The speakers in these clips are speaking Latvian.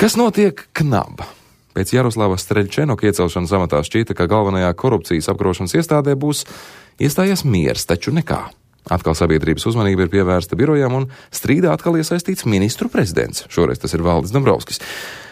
Kas notiek KNAB? Pēc Jaroslava Streļčenoka iecelšanas amatā šķīta, ka galvenajā korupcijas apkarošanas iestādē būs iestājies miers, taču nekā. Atkal sabiedrības uzmanība ir pievērsta birojām un strīdā atkal iesaistīts ministru prezidents. Šoreiz tas ir Valdis Dombrovskis.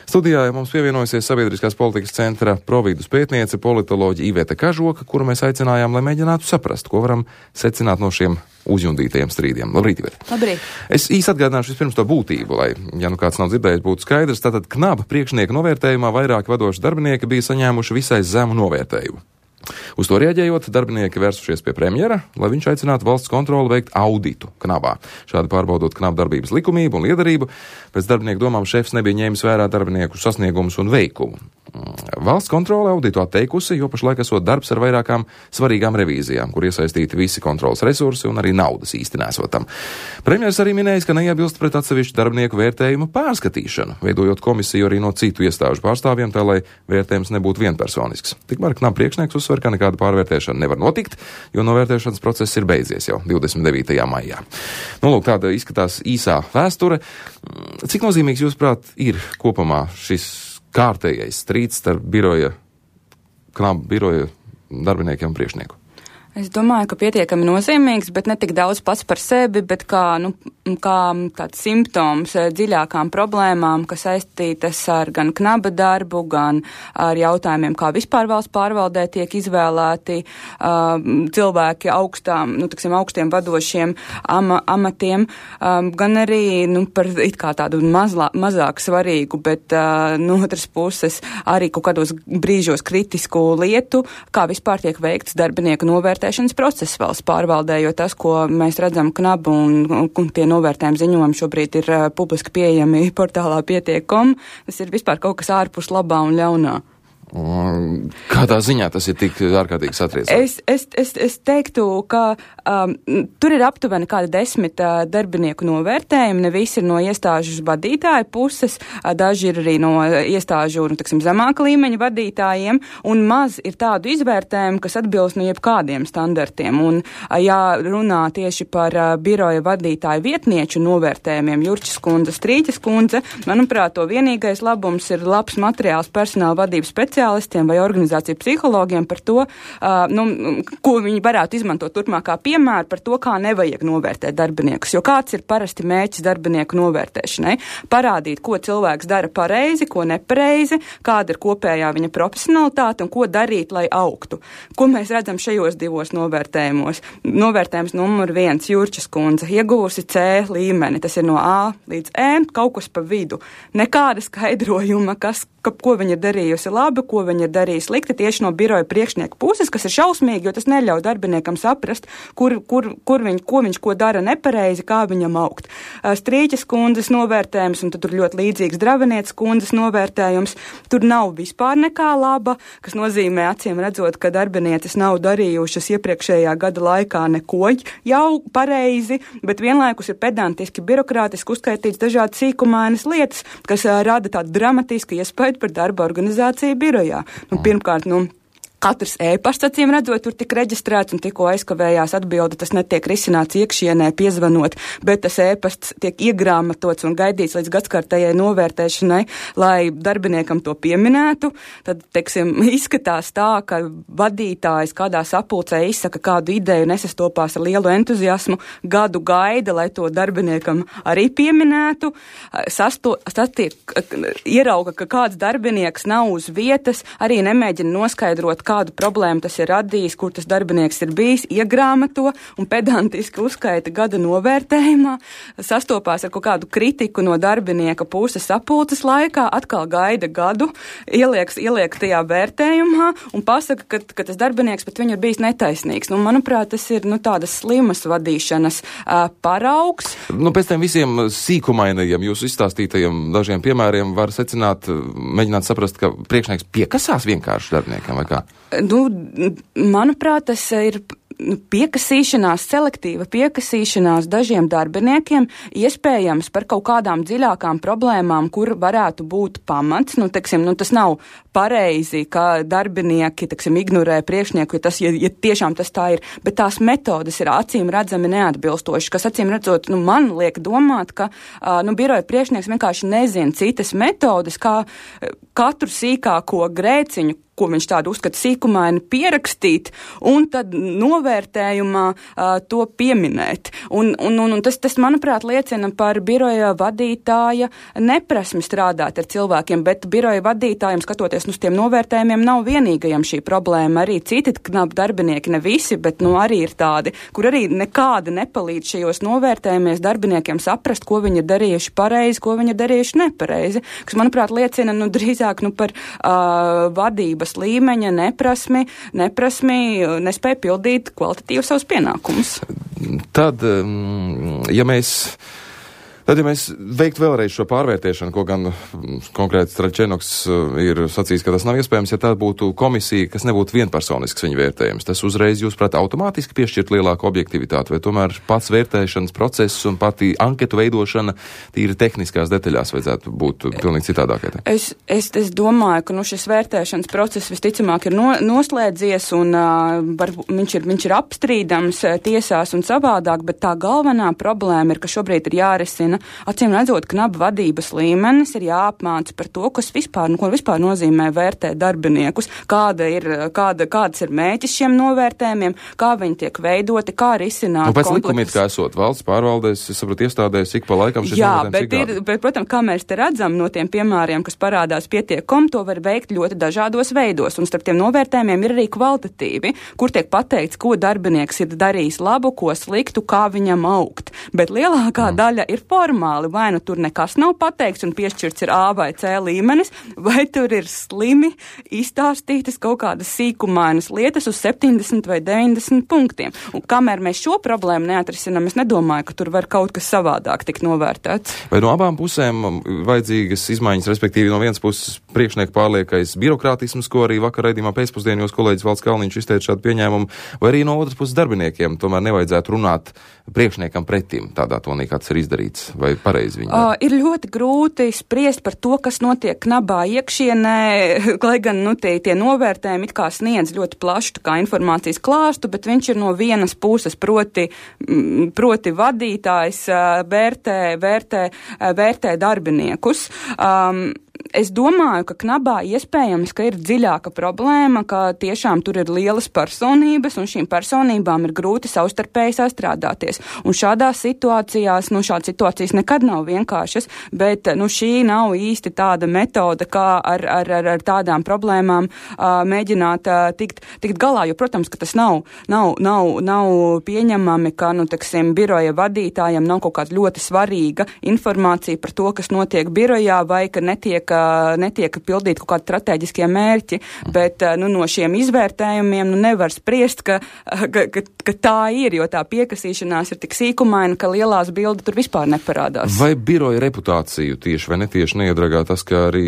Studijā mums pievienojusies Sabiedriskās politikas centra providus pētniece politoloģa Iveta Kažoka, kuru mēs aicinājām, lai mēģinātu saprast, ko varam secināt no šiem uzjundītajiem strīdiem. Labrīt, Iveta. Labrīt. Es īsi atgādināšu vispirms to būtību, lai, ja nu kāds nav dzirdējis, būtu skaidrs. Tātad KNAB priekšnieka novērtējumā vairāki vadoši darbinieki bija saņēmuši visai zemu novērtējumu. Uz to rēģējot, darbinieki vērsušies pie premjera, lai viņš aicinātu valsts kontroli veikt auditu KNABā. Šādi pārbaudot KNAB darbības likumību un liederību, pēc darbinieku domām šefs nebija ņēmis vērā darbinieku sasniegumus un veikumu. Valsts kontrole auditu atteikusi, jo pašlaik esot darbs ar vairākām svarīgām revīzijām, kur iesaistīti visi kontrolas resursi un arī naudas īsti nesotam. Premjers arī minējis, ka neiebilst pret atsevišķu darbinieku vērtējumu pārskatīšanu, veidojot komisiju arī no citu iestāžu pārstāvjiem, tā lai vērtējums nebūtu vienpersonisks. Tikmēr KNAB priekšnieks uzsver, ka nekāda pārvērtēšana nevar notikt, jo novērtēšanas process ir beidzies jau 29. maijā. Nu, lūk, tāda izskatās īsā vēsture. Cik nozīmīgs, jūsuprāt, ir kopumā šis kārtējais strīds starp KNAB biroja darbiniekiem un priekšnieku? Es domāju, ka pietiekami nozīmīgs, bet ne tik daudz pats par sevi, bet kā tāds simptoms dziļākām problēmām, kas saistītas ar gan KNAB darbu, gan ar jautājumiem, kā vispār valsts pārvaldē tiek izvēlēti cilvēki augstiem vadošiem amatiem, gan arī par it kā tādu mazāk svarīgu, bet no otras puses arī kaut kādos brīžos kritisku lietu, kā vispār tiek veikts darbinieku novērtēšanas process valsts pārvaldē, jo tas, ko mēs redzam KNAB un tie novērtējumi ziņojumi šobrīd ir publiski pieejami portālā pietiek.com, tas ir vispār kaut kas ārpus labā un ļaunā. Kādā ziņā tas ir tik ārkārtīgi satriecināts? Es teiktu, ka tur ir aptuveni kādi 10 darbinieku novērtējumi, ne visi ir no iestāžu vadītāju puses, daži ir arī no iestāžu, zemāka līmeņa vadītājiem, un maz ir tādu izvērtējumu, kas atbilst no jebkādiem standartiem. Un, ja runā tieši par biroja vadītāju vietnieču novērtējumiem, Jurčas kundze, Strīķas kundze, manuprāt, to vienīgais labums ir labs materiāls personāla vadības speciālistiem vai organizāciju psihologiem par to, ko viņi varētu izmantot turpmākā piemēra par to, kā nevajag novērtēt darbiniekus. Jo kāds ir parasti mērķis darbinieku novērtēšanai? Parādīt, ko cilvēks dara pareizi, ko nepareizi, kāda ir kopējā viņa profesionalitāte un ko darīt, lai augtu. Ko mēs redzam šajos divos novērtējumos? Novērtējums numur 1, Jurčas kundze, ieguvusi C līmeni, tas ir no A līdz E, kaut kas pa vidu. Nekāda skaidrojuma, ko viņa ir darījusi labi, ko viņa ir darījusi slikti tieši no biroja priekšnieka puses, kas ir šausmīgi, jo tas neļauj darbiniekam saprast, ko viņš dara nepareizi, kā viņam augt. Strīķas kundzes novērtējums, un tad tur ļoti līdzīgs Dravenietes kundzes novērtējums. Tur nav vispār nekā laba, kas nozīmē acīm redzot, ka darbinieces nav darījušas iepriekšējā gada laikā neko jau pareizi, bet vienlaikus ir pedantiski, birokrātiski uzskaitīts dažādi sīkumainas lietas, kas rada tādu dramatisku iespēju par darba organizāciju birojā. Pirmkārt, katrs e-pasts, acīm redzot, tur tik reģistrēts un tikko aizkavējās atbilde, tas netiek risināts iekšienē piezvanot, bet tas e-pasts tiek iegrāmatots un gaidīts līdz gadskārtējai novērtēšanai, lai darbiniekam to pieminētu. Tad, izskatās tā, ka vadītājs kādā sapulcē izsaka kādu ideju, nesastopās ar lielu entuziasmu, gadu gaida, lai to darbiniekam arī pieminētu. Ierauga, ka kāds darbinieks nav uz vietas, arī nemēģina noskaidrot, kādu problēmu tas ir radījis, kur tas darbinieks ir bijis, iegrāmato un pedantiski uzskaita gada novērtējumā, sastopās ar kaut kādu kritiku no darbinieka puses sapulces laikā, atkal gaida gadu, ieliek tajā vērtējumā un pasaka, ka tas darbinieks pret viņu ir bijis netaisnīgs. Manuprāt, tas ir tādas slimas vadīšanas paraugs. Pēc tiem visiem sīkumainajiem jūsu izstāstītajiem dažiem piemēriem var secināt, mēģināt saprast, ka priekšnieks piekasās vienkārši darbiniekam vai kā? Manuprāt, tas ir piekasīšanās, selektīva piekasīšanās dažiem darbiniekiem, iespējams par kaut kādām dziļākām problēmām, kur varētu būt pamats. Tas nav pareizi, ka darbinieki, ignorē priekšnieku, ja tiešām tas tā ir, bet tās metodas ir acīm redzami neatbilstošas, kas acīm redzot, man liek domāt, ka biroja priekšnieks vienkārši nezina citas metodas, kā katru sīkāko grēciņu, ko viņš tādu uzskata sīkumaini, pierakstīt un tad novērtējumā to pieminēt. Un tas, manuprāt, liecina par biroja vadītāja neprasmi strādāt ar cilvēkiem, bet biroja vadītājiem, skatoties uz tiem novērtējumiem, nav vienīgajam šī problēma. Arī citi knapi darbinieki, ne visi, bet arī ir tādi, kur arī nekāda nepalīdz šajos novērtējumies darbiniekiem saprast, ko viņi ir darījuši pareizi, ko viņi ir darījuši nepareizi, kas, manuprāt, liecina drīzāk par vadību līmeņa neprasmi, nespēja pildīt kvalitatīvi savus pienākumus. Tad, ja mēs veiktu vēlreiz šo pārvērtēšanu, ko gan konkrēti Straļčēnoks ir sacījis, ka tas nav iespējams, ja tā būtu komisija, kas nebūtu vienpersonisks viņa vērtējums, tas uzreiz, jūsuprāt, automātiski piešķirt lielāku objektivitāti, vai tomēr pats vērtēšanas process un pati anketu veidošana tīri tehniskās detaļās vajadzētu būt pilnīgi citādākai? Es domāju, ka šis vērtēšanas process visticamāk ir noslēdzies un viņš ir apstrīdams tiesās un savādāk, bet tā galvenā problēma ir, ka šobrīd ir jārisina. Acīm redzot, knapu vadības līmenis ir jāapmāca par to, ko vispār nozīmē vērtēt darbiniekus, kāds ir mērķis šiem novērtējumiem, kā viņi tiek veidoti, kā risināt konfliktus. Pēc likumiem, kā esot valsts pārvaldēs, es saprotu, iestādēs, ik pa laikam šis novērtējums bet, protams, kā mēs te redzam no tiem piemēriem, kas parādās pietiekam, to var veikt ļoti dažādos veidos, un starp tiem novērtējumiem ir arī kvalitatīvi, kur tiek pateikts, ko darbinieks ir darījis labu, ko sliktu, kā viņam augt. Bet lielākā daļa ir formāli, vai tur nekas nav pateikts un piešķirts ir A vai C līmenis, vai tur ir slimi izstāstītas kaut kādas sīkumainas lietas uz 70 vai 90 punktiem. Un kamēr mēs šo problēmu neatrisinām, es nedomāju, ka tur var kaut kas savādāk tikt novērtēts. Vai no abām pusēm vajadzīgas izmaiņas, respektīvi no vienas puses priekšnieku pārliekais birokrātisms, ko arī vakar raidījumā pēcpusdienā jūs kolēģis Valds Kalniņš izteica šādu pieņēmumu, vai arī no otras puses darbiniekiem tomēr nevajadzētu runāt priekšniekam pretim tādā tonī, kāds ir izdarīts, vai pareizi viņi? Ir ļoti grūti spriest par to, kas notiek knabā iekšienē, lai gan tie novērtējumi it kā sniedz ļoti plašu kā informācijas klāstu, bet viņš ir no vienas puses, proti vadītājs vērtē darbiniekus. Es domāju, ka knabā iespējams, ka ir dziļāka problēma, ka tiešām tur ir lielas personības, un šīm personībām ir grūti savstarpēji sastrādāties. Un šādas situācijas nekad nav vienkāršas, bet šī nav īsti tāda metode, kā ar tādām problēmām mēģināt tikt galā. Jo, protams, ka tas nav pieņemami, ka, biroja vadītājiem nav kaut kāda ļoti svarīga informācija par to, kas notiek birojā, vai ka netiek pildīt kaut kādi strateģiskie mērķi, bet no šiem izvērtējumiem nevar spriest, ka tā ir, jo tā piekasīšanās ir tik sīkumaina, ka lielās bildes tur vispār neparādās. Vai biroja reputāciju tieši vai netieši neiedragā tas, ka arī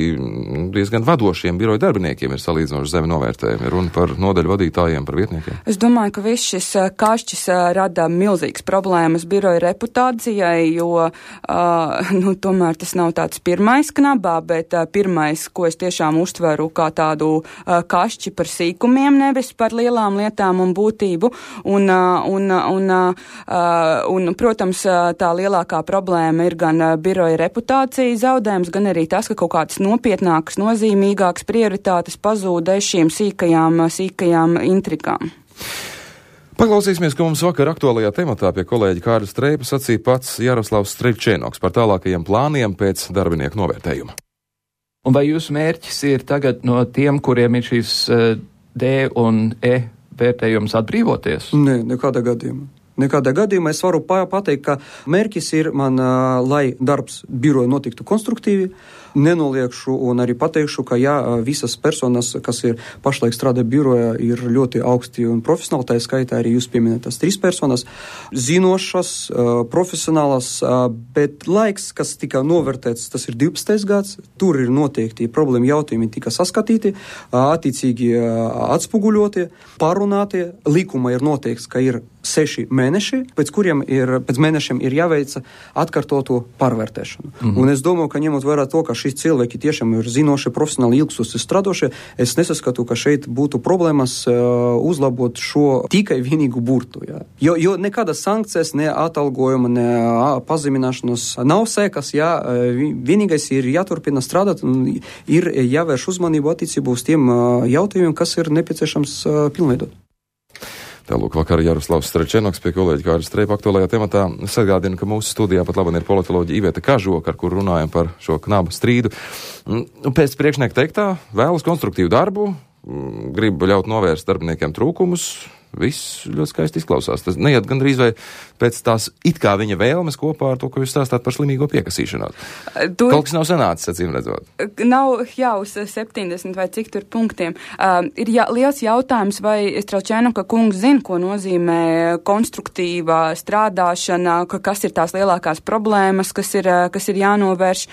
diezgan vadošiem biroja darbiniekiem ir salīdzinoši zemi novērtējumi, runa par nodaļu vadītājiem, par vietniekiem? Es domāju, ka viss šis kašķis rada milzīgas problēmas biroja reputācijai, jo tomēr tas nav tāds pirmais knabā, bet pirmais, ko es tiešām uztveru kā tādu kašķi par sīkumiem, nevis par lielām lietām un būtību. Un protams, tā lielākā problēma ir gan biroja reputācijas zaudējums, gan arī tas, ka kaut kādas nopietnākas, nozīmīgākas prioritātes pazūd šīm sīkajām intrigām. Paklausīsimies, ko mums vakar aktuālajā tematā pie kolēģa Kārļa Streipa sacīja pats Jaroslavs Straļčēnoks par tālākajiem plāniem pēc darbinieku novērtējuma. Un vai jūsu mērķis ir tagad no tiem, kuriem ir šīs D un E vērtējums atbrīvoties? Nē, nekādā gadījumā. Nekādā gadījumā es varu pateikt, ka mērķis ir man, lai darbs biroja notiktu konstruktīvi, nenoliekšu un arī pateikšu, ka visas personas, kas ir pašlaik strādā birojā, ir ļoti augsti un profesionāli, tā skaitā arī jūs pieminētas 3 personas, zinošas, profesionālas, bet laiks, kas tika novērtēts, tas ir 12. gads, tur ir noteikti problēma jautājumi tika saskatīti, attiecīgi atspoguļoti, parunāti, likuma ir noteikts, ka ir 6 mēneši, pēc mēnešiem ir jāveica atkārtotu pārvērtēšanu. Un es domāju, ka ņemot vērā to, ka šīs cilvēki tiešām ir zinoši, profesionāli ilgstoši strādošie, es nesaskatu, ka šeit būtu problēmas uzlabot šo tikai vienīgu burtu. Jā. Jo nekādas sankcijas, ne atalgojuma, ne pazemināšanas nav sekas, vienīgais ir jāturpina strādāt un ir jāvērš uzmanību attiecībā uz tiem jautājumiem, kas ir nepieciešams pilnveidot. Tālūk, vakar Jaroslavs Strečenoks pie kolēģa Kārļa Streipa aktuālajā tematā. Es atgādinu, ka mūsu studijā pat labāk ir politoloģija Iveta Kažoka, ar kur runājam par šo knabu strīdu. Pēc priekšnieka teiktā vēlas konstruktīvu darbu, grib ļaut novērst darbiniekiem trūkumus. Viss ļoti skaisti izklausās. Tas neiet gandrīz vai pēc tās it kā viņa vēlmes kopā ar to, ko jūs stāstāt par slimīgo piekasīšanos. Kaut kas nav sanācis, acīm redzot. Nav jau uz 70 vai cik tur punktiem. Ir liels jautājums, vai Strelčēnoka kungs zina, ko nozīmē konstruktīva strādāšana, kas ir tās lielākās problēmas, kas ir jānovērš,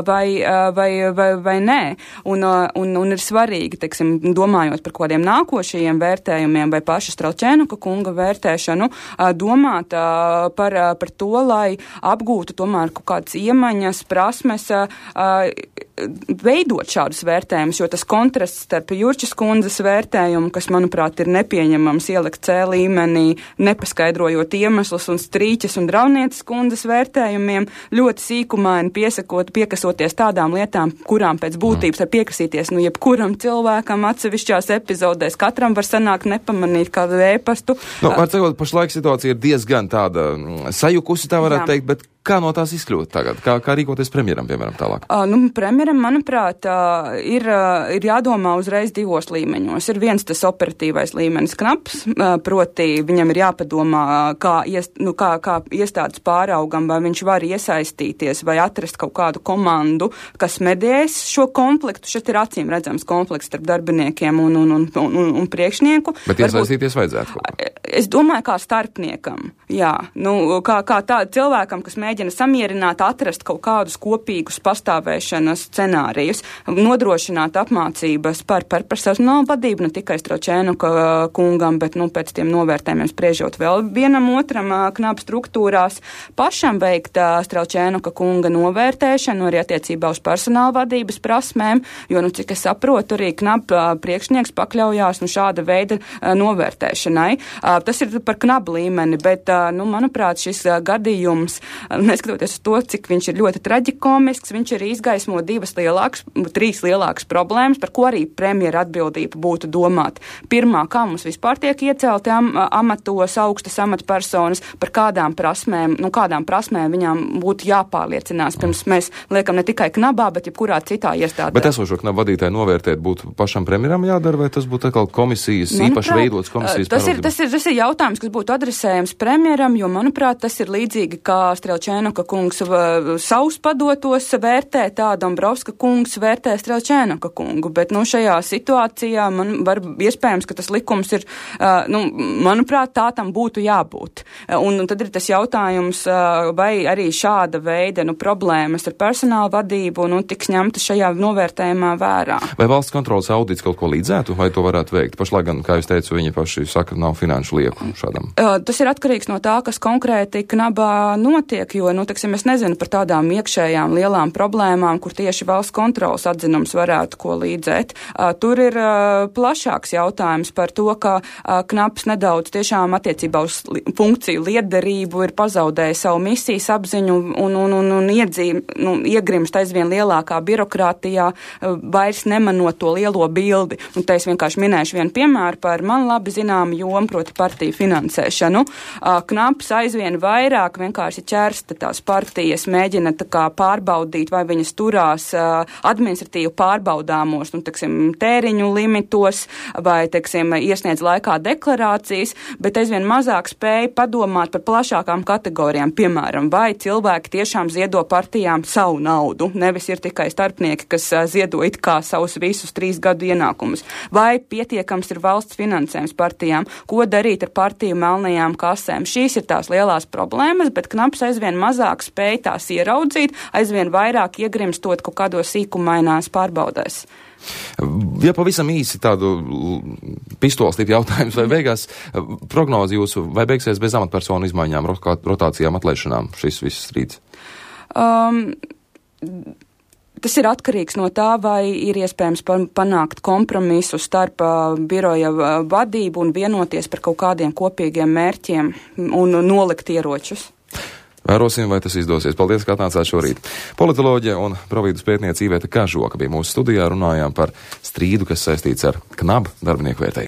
vai nē. Un ir svarīgi, teiksim, domājot par kādiem nākošajiem vērtējumiem vai pašas Strelčēnoka kunga vērtēšanu, domāt par to, lai apgūtu tomēr kaut kādas iemaņas, prasmes, veidot šādus vērtējumus, jo tas kontrasts starp Jurčas kundzes vērtējumu, kas, manuprāt, ir nepieņemams ielikt C līmenī, nepaskaidrojot iemeslus un Strīķes un Draunītes kundzes vērtējumiem, ļoti sīkumaini piekasoties tādām lietām, kurām pēc būtības var piekasīties, jebkuram cilvēkam atsevišķās epizodēs, katram var sanākt nepamanīt kādu ēpastu. Var sakot, pašlaik situācija ir diezgan tāda sajukusi, tā varētu teikt, bet kā no tās izkļūt tagad? Kā rīkoties premjeram, piemēram, tālāk? Premjeram, manuprāt, ir jādomā uzreiz 2 līmeņos. Ir viens tas operatīvais līmenis knaps, proti viņam ir jāpadomā, kā iestādes pāraugam, vai viņš var iesaistīties, vai atrast kaut kādu komandu, kas mediēs šo konfliktu. Šeit ir acīm redzams konflikts starp darbiniekiem un priekšnieku. Bet iesaistīties vajadzētu? Es domāju, kā starpniekam. Jā, kā tā cilvēkam, kas mēģina samierināt, atrast kaut kādus kopīgus pastāvēšanas scenārijus, nodrošināt apmācības par personālu vadību, ne tikai Strelčēnoka kungam, bet pēc tiem novērtējumiem spriežot vēl vienam otram knapu struktūrās, pašam veikt Strelčēnoka kunga novērtēšanu arī attiecībā uz personāla vadības prasmēm, jo, cik es saprotu, arī knapu priekšnieks pakļaujās šāda veida novērtēšanai. Tas ir par knabu līmeni, bet, manuprāt, šis gadījums, neskatoties uz to, cik viņš ir ļoti traģikomisks, viņš arī izgaismo 3 lielākas problēmas, par ko arī premjera atbildība būtu domāt. Pirmā, kā mums vispār tiek iecelti amatos augstas amatpersonas, par kādām prasmēm viņām būtu jāpārliecinās, pirms mēs liekam ne tikai knabā, bet jebkurā citā iestādē. Bet esošo knabu vadītāju novērtēt būtu pašam premjeram jādara, vai tas būtu atkal komisijas, īpaši veidots komisijas pārvaldības? Tas ir jautājums, kas būtu adresējams premjeram, jo, manuprāt, tas ir līdzīgi, kā Strelčēnoka kungs savus padotos vērtē, tā Dombrovska kungs vērtē Strelčēnoka kungu, bet, šajā situācijā man var iespējams, ka tas likums ir, manuprāt, tā tam būtu jābūt. Un tad ir tas jautājums, vai arī šāda veida, problēmas ar personāla vadību, tiks ņemta šajā novērtējumā vērā. Vai valsts kontrolas audits kaut ko līdzētu, vai to varētu veikt? Pašlaik gan, kā jūs teicu, viņi paši saka, nav finanšu lieku šādam. Tas ir atkarīgs no tā, kas konkrēti knabā notiek, jo, es nezinu par tādām iekšējām lielām problēmām, kur tieši valsts kontrolas atzinums varētu ko līdzēt. Tur ir plašāks jautājums par to, ka knaps nedaudz tiešām attiecībā uz funkciju lietderību ir pazaudējis savu misijas apziņu un iegrimst aizvien lielākā birokrātijā, vairs nemanot to lielo bildi. Un te es vienkārši minēšu vienu piemēru par man labi zināmu jomu, proti partiju finansēšanu. Knaps aizvien vairāk vienkārši ķers parasti tās partijas mēģina tā kā pārbaudīt, vai viņas turās administratīvi pārbaudāmos, tēriņu limitos, vai, iesniedz laikā deklarācijas, bet aizvien mazāk spēja padomāt par plašākām kategorijām, piemēram, vai cilvēki tiešām ziedo partijām savu naudu, nevis ir tikai starpnieki, kas ziedo it kā savus visus 3 gadu ienākumus, vai pietiekams ir valsts finansējums partijām, ko darīt ar partiju melnajām kasēm. Šīs ir tās lielās problēmas, bet Knabs aizvien mazāk spēj tās ieraudzīt, aizvien vairāk iegrimstot kaut kādos sīkumainās pārbaudēs. Ja pavisam īsi tādu pistolstipu jautājums, vai beigās prognozi jūsu, vai beigsies bez amatpersonu izmaiņām, rotācijām, atlaišanām šis viss strīds? Tas ir atkarīgs no tā, vai ir iespējams panākt kompromisu starp biroja vadību un vienoties par kaut kādiem kopīgiem mērķiem un nolikt ieročus. Vērosim, vai tas izdosies. Paldies, ka atnācāt šorīt. Politoloģe un providus pētniece Iveta Kažoka bija mūsu studijā, runājām par strīdu, kas saistīts ar Knaba darbinieku vērtējumu.